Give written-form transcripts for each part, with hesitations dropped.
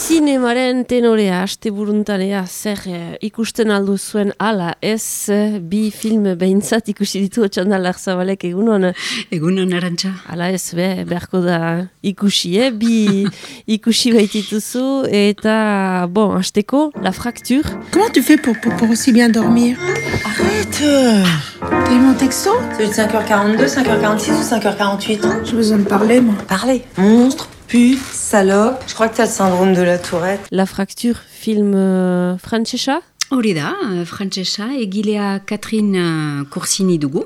Zinemaren tenorea, asteburuntanea, zer ikusten aldu zuen ala, ez bi film behintzat ikusi ditu Otxandalak Zabalek egunon? Egunon, Arantxa. Ala ez, beharko da ikusi, bi ikusi baitituzu, eta, bon, asteko, La Fracture. Comment tu fais pour aussi bien dormir? Arrête! T'as eu mon texto? C'est de 5h42, 5h46 ou 5h48? J'ai besoin de parler, moi. Parlez. Monstre, pute, salope. Je crois que t'as le syndrome de la tourette. La Fracture, film frantsesa? Hori da, frantsesa, egilea Catherine Corsini dugu.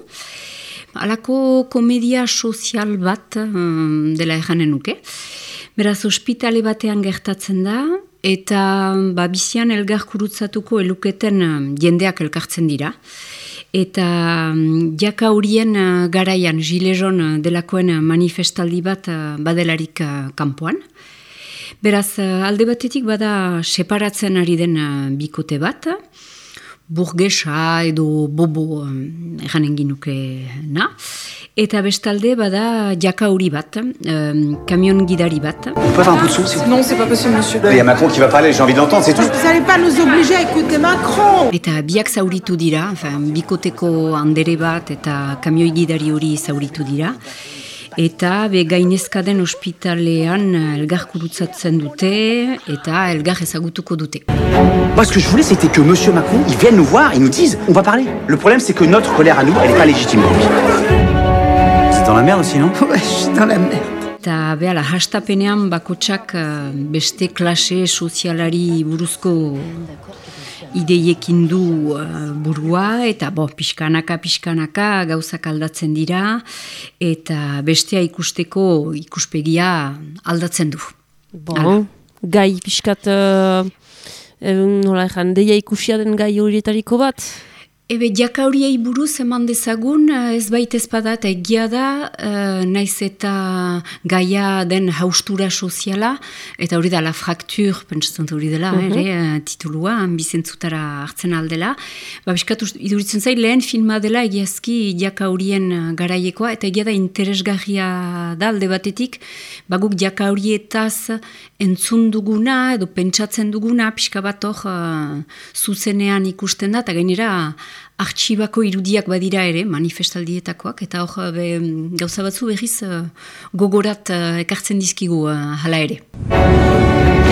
Halako komedia sozial bat dela erranen nuke. Beraz, ospitale batean gertatzen da, eta bizian elgarkurutzatuko eluketen jendeak elkartzen dira. Eta jaka horien garaian, Gilets jaunes delakoen manifestaldi bat badelarik kanpoan. Beraz, alde batetik bada separatzen ari den bikote bat, burgesa edo bobo eranen ginuke na. Eta bestalde bada jaka hori bat, kamion gidari bat. On peut avoir un peu de son, s'il vous plaît? Non, c'est pas possible, monsieur. Il y a Macron qui va parler, j'ai envie de l'entendre, c'est tout. Vous allez pas nous obliger à écouter Macron! Eta biak zauritu dira, bikoteko andere bat eta kamioi gidari hori zauritu dira. Eta gainezka den ospitalean elgarkurutzatzen dute eta elgar ezagutuko dute. Moi, ce que je voulais, c'était que monsieur Macron, il vienne nous voir, il nous dise, on va parler. Le problème, c'est que notre colère à nous, elle n'est pas légitime pour lui. C'est dans la merde aussi, non? Ouais, je suis dans la merde. Eta behala, hastapenean bakotsak beste klase sozialari buruzko ideiekin du burua, eta pixkanaka gauzak aldatzen dira, eta bestea ikusteko ikuspegia aldatzen du. Bon, gai pixkat, nola ezan, deia ikusia den gai horietariko bat? Jaka horiei buruz eman dezagun, ez baitez bada eta egia da, naiz eta gaia den haustura soziala, eta hori da La Fracture, pentsatzen hori dela, titulua, bizentzutara hartzen aldela. Biskatu iduritzen zait, lehen filma dela egiazki jaka horien garaiekoa, eta egia da interesgarria da alde batetik, guk jaka horietaz entzun duguna, edo pentsatzen duguna, pixka bat hor zuzenean ikusten da, eta gainera artxibako irudiak badira ere, manifestaldietakoak, eta hor gauza batzu berriz gogorat ekartzen dizkigu hala ere.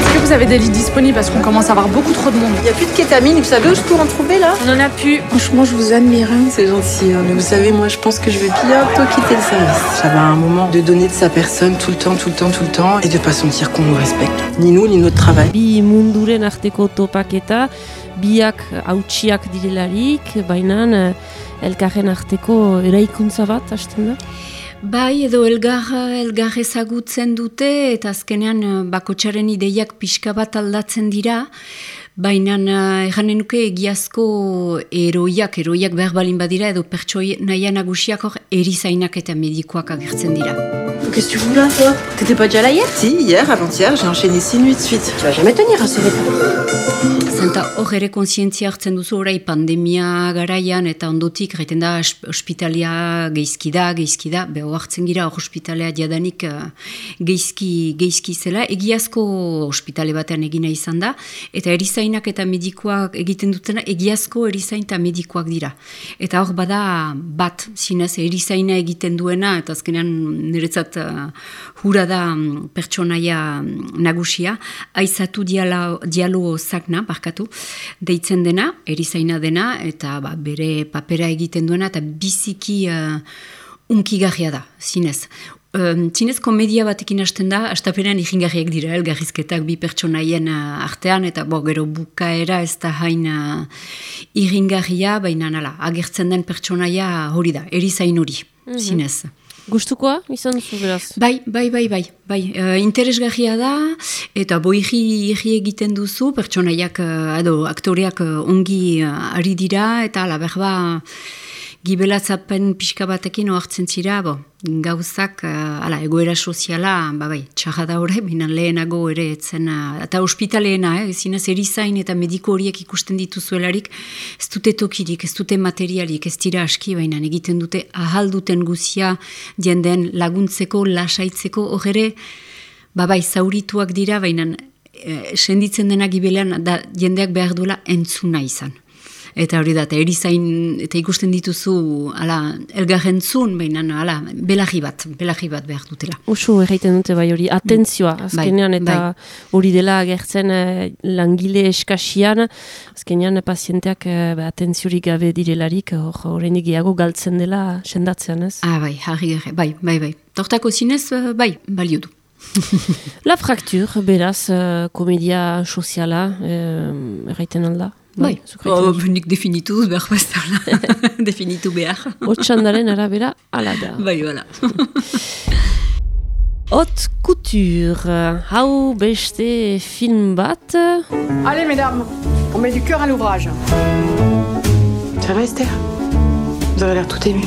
Est-ce que vous avez des lits disponibles parce qu'on commence à avoir beaucoup trop de monde? Il n'y a plus de kétamine, vous savez où je peux en trouver là? On en a plus. Franchement, je vous admire. C'est gentil, mais vous savez, moi je pense que je vais bientôt quitter le service. J'avais un moment de donner de sa personne tout le temps, et de pas sentir qu'on nous respecte. Ni nous, ni notre travail. Bi munduren arteko topaketa, biak hautsiak direlarik, baina elkarren arteko eraikuntza bat, hasten da? Bai, edo elgar ezagutzen dute, eta azkenean bakotsaren ideiak pixka bat aldatzen dira, baina erranen nuke egiazko eroiak behar balin badira, edo pertsonaia nagusiak hor erizainak eta medikoak agertzen dira. Qu'est-ce que tu fous là, toi? T'étais pas déjà là hier? Si, hier, avant-hier, j'ai enchaîné 6 nuits de suite. Tu vas jamais tenir à ce rythme. Zenta hor ere kontzientzia hartzen duzu orai pandemia garaian eta ondotik gaiten da ospitalia geizki da, beho hartzen gira hor ospitalea jadanik geizki zela, egiazko ospitale batean egina izan da, eta erizainak eta medikoak egiten dutena egiazko erizain eta medikoak dira. Eta hor bada bat, zinez erizaina egiten duena, eta azkenean niretzat hura da pertsonaia nagusia, aizatu dialo zakna, deitzen dena, erizaina dena, eta bere papera egiten duena, eta biziki unkigarria da, zinez. Zinez komedia batekin hasten da, hastapenean ikingarriak dira, elgarrizketak bi pertsonaien artean, eta gero bukaera ez da hain iringarria, baina nala, agertzen den pertsonaia hori da, erizain hori, zinez. Gustukoa izan duzu beraz? Bai, interesgarria da, eta irri egiten duzu, pertsonaiak, aktoreak ongi ari dira, eta berba gibelatzapen pixka batekin ohartzen zira, gauzak, egoera soziala, txarra da hori, binan lehenago ere etzen, eta ospitaleena, zinez erizain eta mediko horiek ikusten dituzuelarik, ez dute tokirik, ez dute materialik, ez dira aski, baina egiten dute ahalduten guzia jenden laguntzeko, lasaitzeko, hor ere, zaurituak dira, baina senditzen dena gibelean da jendeak behar duela entzuna izan. Eta hori da, eta erizain, eta ikusten dituzu, elgarrentzun, baina, belagi bat behar dutela. Usu erraiten dute bai hori, atentzioa, azkenean, eta hori dela agertzen langile eskasian, azkenean pazienteak atentziorik gabe direlarik, horreinik gehiago galtzen dela sendatzean, ez? Harri gare, bai. Tortako zinez, balio du. La Fracture, beraz, komedia soziala, erraiten alda? Nik definitu behar bazala. Definitu behar. Otsandaren arabera, ala da. Hala. Haute couture, hau beste film bat. Allez, mesdames, on met du cœur à l'ouvrage. Ça va, Esther? Vous avez l'air tout émue.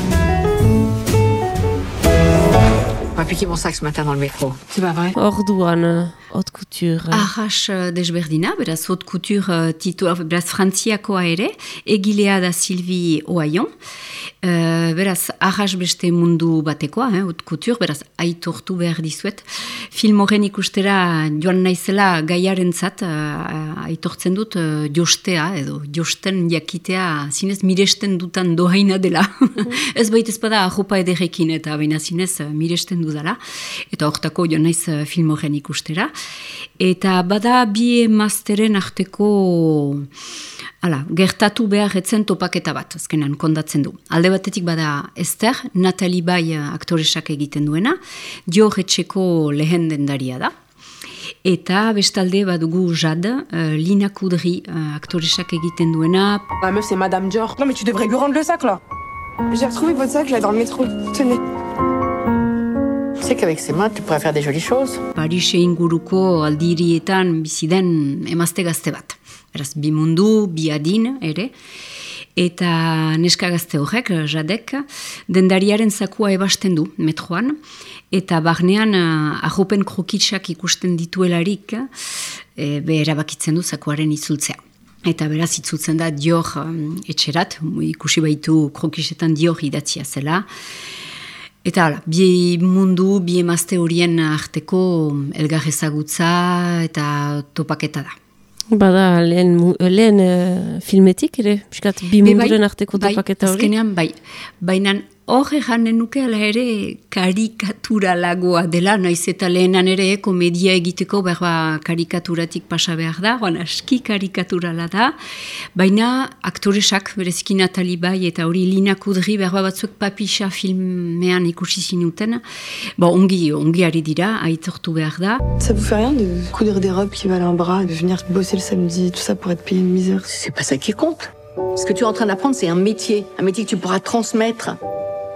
On m'a piqué mon sac ce matin dans le métro. C'est pas vrai? Orduan, haute couture. Arras desberdina, beraz haute couture beraz frantziakoa ere, egilea da Sylvie Ohayon. Beraz, arras beste mundu batekoa, haute couture, beraz aitortu behar dizuet. Film horren ikustera joan naizela gaiarentzat, aitortzen dut jostea, edo josten jakitea, zinez miresten dutan dohaina dela. Ez baita ezpada ajopa ederrekin, eta baina zinez miresten dudala, eta hortako joan naiz film horren ikustera. Eta bada bi emazteren arteko gertatu behar etzen topaketa bat, azkenan kondatzen du. Alde batetik bada Esther, Natalie Bai aktoresak egiten duena, Dior etxeko lehen dendaria da. Eta bestalde badugu Jade, Lina Kudri aktoresak egiten duena. La meuf, c'est Madame Dior. Non, mais tu devrais lui rendre le sac, là. J'ai retrouvé votre sac, là, dans le métro. Tenez. Tu sais qu'avec ses mains, tu pourrais faire des jolies choses. Parise inguruko aldirietan biziden emazte gazte bat. Beraz, bi mundu, bi adin ere. Eta neska gazte horrek, Jadek, dendariaren zakua ebasten du metroan. Eta barnean arropen krokitsak ikusten dituelarik, erabakitzen du zakuaren itzultzea. Eta beraz itzultzen da Dior etxerat, ikusi baitu krokisetan Dior idatzia zela. Eta bi mundu, bi emazte horien arteko elgar ezagutza eta topaketa da. Bada, lehen filmetik ere, bi munduren arteko topaketa hori? Azkenean, baina hor eganen nuke ala ere karikaturalagoa dela, naiz eta lehenan ere komedia egiteko berba karikaturatik pasa behar da, aski karikaturala da, baina aktoresak, bereziki Natalie Bai eta hori Lina Kudri berba batzuek Papisa filmean ikusi zinuten, ongi ari dira, aitortu behar da. Ça vous fait rien de coudre des robes qui valent un bras, de venir bosser le samedi, tout ça pour être payé une misère? C'est pas ça qui compte. Ce que tu es en train d'apprendre, c'est un métier que tu pourras transmettre.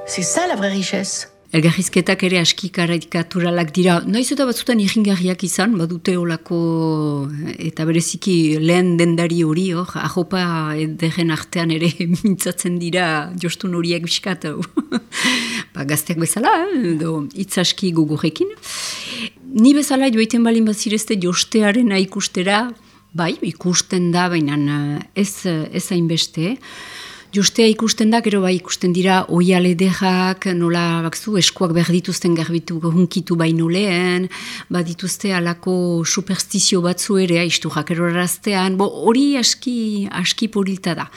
C'est ça la vraie richesse. Elgarrizketak ere aski karikaturalak dira. Naiz eta batzutan irringarriak izan, badute olako eta bereziki lehen dendari hori, ajopa ederen artean ere mintzatzen dira jostun horiek biskat. Gazteak bezala, edo hitz aski gogorrekin. Ni bezala joiten balin bazirezte jostearena ikustera, ikusten da, baina ez hainbeste. Jostea ikusten da, gero ikusten dira oialedejak, nola bakzu, eskuak behar dituzten garbitu hunkitu baino lehen, badituzte alako superstizio batzu ere, aizturrak eroraztean, hori aski porilta da.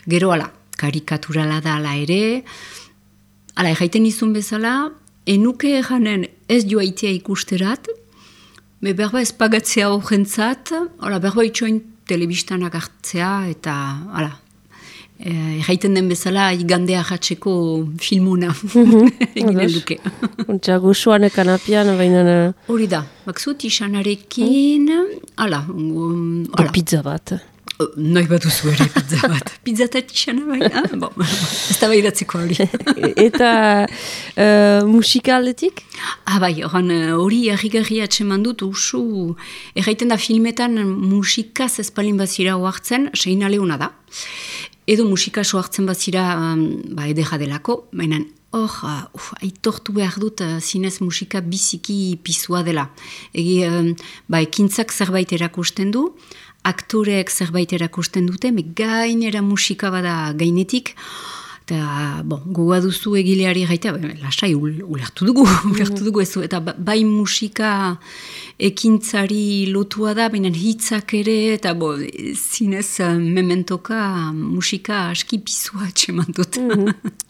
Gero karikaturala da ala ere, erraiten izun bezala, enuke eganen ez joaitea ikusterat, berba ez pagatzea horrentzat, berba itxoin telebistanak hartzea, eta erraiten den bezala igandea jatzeko filmuna eginen duke. Ontsa goxoan ekanapian, baina... Hori da, baksut isanarekin, pizza bat. Nahi bat duzu ere pizza bat. Pizza eta isana baina, ez da behiratzeko hori. Eta musika aldetik? Hori errigarri atseman dut usu, erraiten da filmetan musikaz ezpalin bazira hoartzen, Seina Leona da. edo musika soartzen bazira edera delako, baina aitortu behar dut zinez musika biziki pizua dela. Ekintzak zerbait erakusten du, aktoreek zerbait erakusten dute, gainera musika bada gainetik, eta gogoa duzu egileari gaita, lasai, ulertu dugu ez, eta bai musika ekintzari lotua da, baina hitzak ere, eta zinez mementoka musika aski pizua atxeman dut.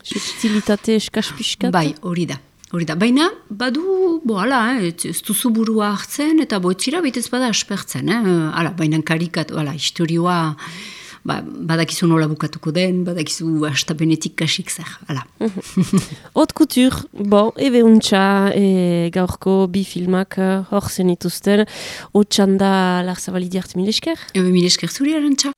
Subtilitate eskaspiskat? Bai, hori da. Baina, badu, ez duzu burua hartzen, eta etzira baitez bada aspertzen, baina karikat, historioa, badakizu nola bukatuko den, badakizu astapenetik kasik zer, Haute couture, ebe untxa, gaurko bi filmak hor zenituzten, hotxanda Larzabali diart, mil esker? Mil esker zuri, Arantxa.